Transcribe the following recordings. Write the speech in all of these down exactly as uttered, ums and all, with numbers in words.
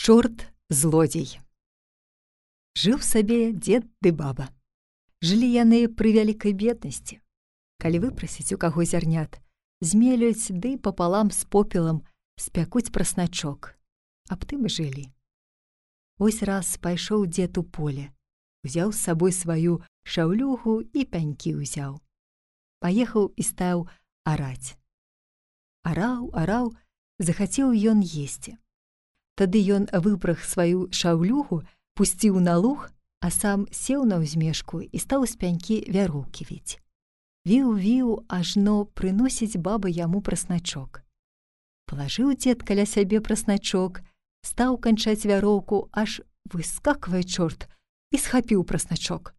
Чорт-злодзей. Жыў сабе дзед ды баба. Жылі яны пры вялікай беднасці. Калі выпрасіць у каго зярнят, змелюць ды папалам з попелам спякуць прасначок. Аб тым і жылі. Вось раз пайшоў дзед у поле, узяў з сабой сваю шаўлюгу і пянькі ўзяў. Паехаў і стаў араць. Араў, араў, захацеў ён есці. Тады ён выпраг сваю шаўлюгу, пусціў на луг, а сам сеў на ўзмешку і стаў з пянькі вяроўкі віць. Віў-віў, ажно прыносіць баба яму прасначок. Палажыў дзед каля сябе прасначок, стаў канчаць вяроўку, аж выскаквае чорт і схапіў прасначок.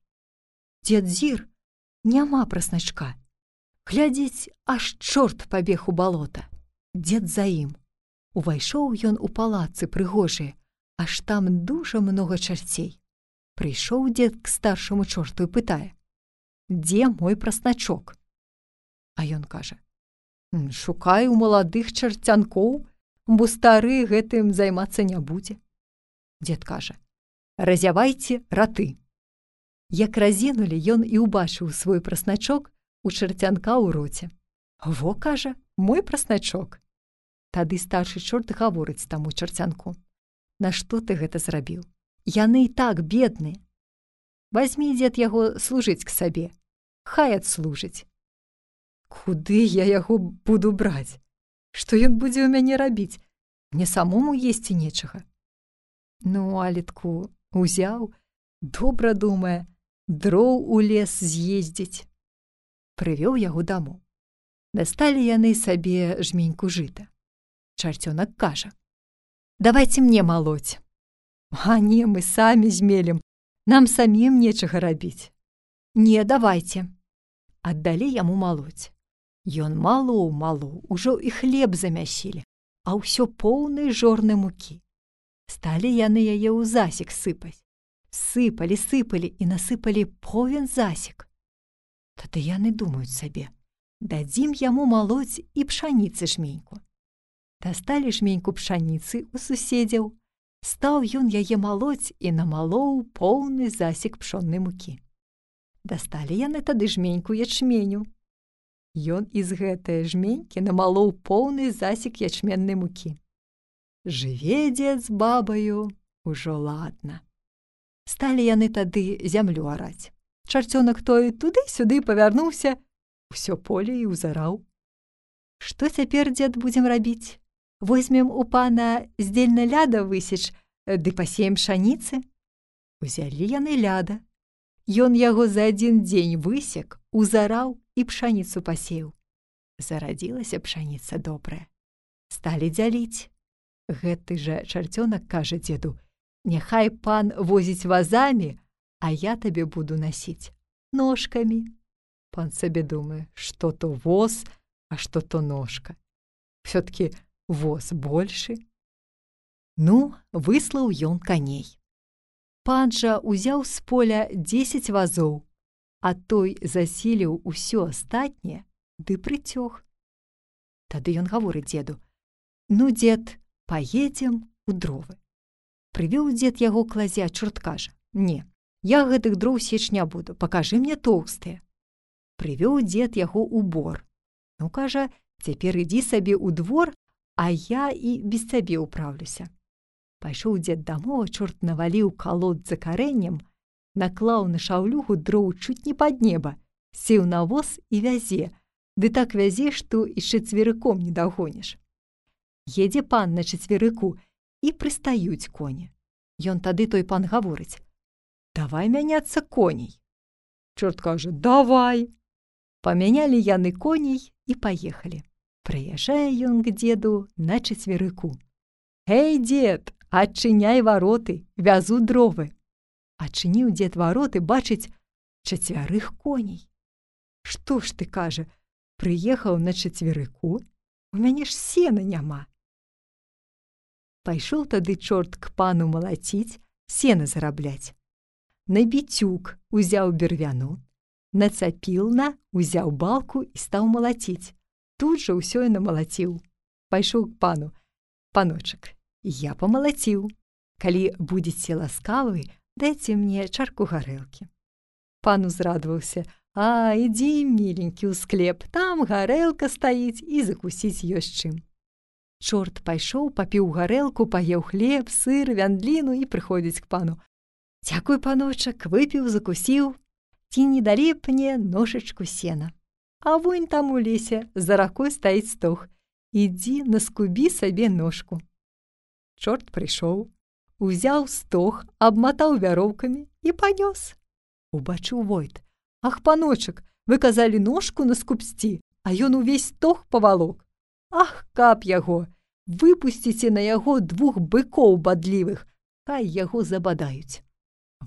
Дзед зір, няма прасначка. Глядзіць, аж чорт пабег у балота. Дзед за ім. Увайшоў ён у палацы прыгожыя, аж там дужа многа чарцей. Прыйшоў дзед к старшаму чорту і пытае: «Дзе мой прасначок?» А ён кажа: «Шукаю маладых чарцянкоў, бо стары гэтым займацца не будзе». Дзед кажа: «Разявайце раты». Як разінулі, ён і ўбачыў свой прасначок у чарцянка ў роце. «Во, — кажа, — мой прасначок». Тады старшы чорт гаворыць таму чарцянку: «Нашто ты гэта зрабіў? Яны і так бедныя. Вазьмі, дзед, яго служыць к сабе, хай адслужыць». «Куды я яго буду браць? Што ён будзе ў мяне рабіць? Мне самому есці нечага». Ну, алетку узяў, добра думае, дроў у лес з'ездзіць. Прывёў яго дамоў. Дасталі яны сабе жменьку жыта. Чарцёнак кажа: «Давайце мне малоць». «А не, мы самі змелім, нам самім нечага рабіць». «Не, давайце». Аддалі яму малоць. Ён малоў, малоў, ужо і хлеб замясілі, а ўсё поўны жорны мукі. Сталі яны яе ў засек сыпаць. Сыпалі, сыпалі і насыпалі повен засек. Тады яны думаюць сабе: дадзім яму малоць і пшаніцы жменьку. Дасталі жменьку пшаніцы ў суседзяў, стаў ён яе малоць і намалоў поўны засек пшоннай мукі. Дасталі яны тады жменьку ячменю. Ён з гэтае жменькі намалоў поўны засек ячменнай мукі. Жыве дзед з бабаю ужо ладна. Сталі яны тады зямлю араць. Чарцёнак той туды-сюды павярнуўся, усё поле і ўзараў. «Што цяпер, дзед, будзем рабіць? Возьмем у пана здзельна ляда высеч, ды пасеем пшаніцы?» Узялі яны ляда. Ён яго за адзін дзень высек, узараў і пшаніцу пасеяў. Зарадзілася пшаніца добрая. Сталі дзяліць. Гэты жа чарцёнак кажа дзеду: «Няхай пан возіць вазамі, а я табе буду насіць ножкамі». Пан сабе думае, што то воз, а што то ножка. Всё-ткі воз большы. Ну, выслаў ён каней. Пан жа узяў з поля дзесяць вазоў, а той засіліў усё астатняе ды прыцёг. Тады ён гаворыць дзеду: «Ну, дзед, паедзем у дровы». Прывёў дзед яго к лазе, а чорт кажа: «Не, я гэтых дроў сечь не буду, пакажы мне тоўстыя». Прывёў дзед яго ў бор. Ну, кажа, цяпер ідзі сабе ў двор, а я і без цябе ўправлюся. Пайшоў дзед дамоў, а чорт наваліў калод за карэннем, наклаў на шаўлюгу дроў чуць не пад неба, сеў на воз і вязе, ды так вязе, што і чацверыком не дагоніш. Едзе пан на чацверыку, і прыстаюць коні. Ён тады той пан гаворыць: «Давай мяняцца коней». Чорт кажа: «Давай». Памянялі яны коней і паехалі. Прыязджае ён к дзеду на чацверыку. «Эй, дзед, адчыняй вароты, вязу дровы». Адчыніў дзед вароты, бачыць чацвярых коней. «Што ж ты, — кажа, — прыехаў на чацверыку? У мяне ж сена няма». Пайшоў тады чорт к пану малаціць, сена зарабляць. На біцюк узяў бервяну, нацапіл на, узяў балку і стаў малаціць. Тут жа ўсё і намалаціў. Пайшоў к пану: «Паночак, я памалаціў, Калі будзеце ласкавы, дайце мне чарку гарэлкі. Пан узрадаваўся: «А, ідзі, міленькі, у склеп, там гарэлка стаіць і закусіць ёсць чым». Чорт пайшоў, папіў гарэлку, паеў хлеб, сыр, вяндліну і прыходзіць к пану: «Дзякуй, паночак, выпіў, закусіў. Ці не далі б мне ножачку сена? А вунь там у лесе за ракой стаіць стог. Ідзі, наскубі сабе ножку». Чорт прыйшоў, узяў стог, абматаў вяроўкамі і панёс. Убачыў Войт: «Ах, паночак, вы казалі ножку наскубсці, а ён увесь стог павалок. Ах, каб яго! Выпусціце на яго двух быкоў бадлівых, хай яго забадаюць».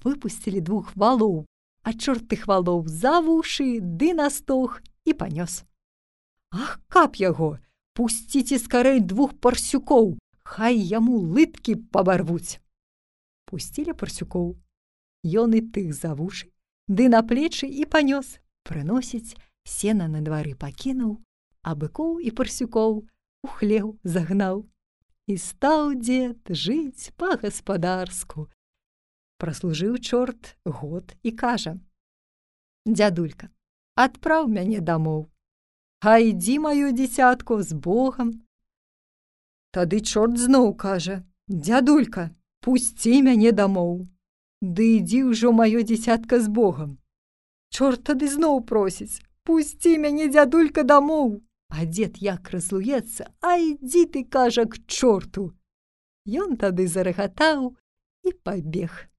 Выпусцілі двух валоў, а чорт тых валоў за вушы ды на стог і панёс. «Ах, каб яго! Пусціце скарэй двух парсюкоў, хай яму лыткі пабарвуць». Пусцілі парсюкоў. Ён і тых за вушы, ды на плечы і панёс. Прыносіць, сена на двары пакінуў, а быкоў і парсюкоў у хлеў загнаў. І стаў дзед жыць па-гаспадарску. Праслужыў чорт год і кажа: «Дзядулька, адпраў мяне дамоў. А ідзі, маё дзіцятко, з Богам». Тады чорт зноў кажа: «Дзядулька, пусці мяне дамоў. Ды ідзі ўжо, маё дзіцятка, з Богам». Чорт тады зноў просіць: «Пусці мяне, дзядулька, дамоў». А дзед як разлуецца: «А ідзі ты, кажа, к чорту». Ён тады зарагатаў і пабег.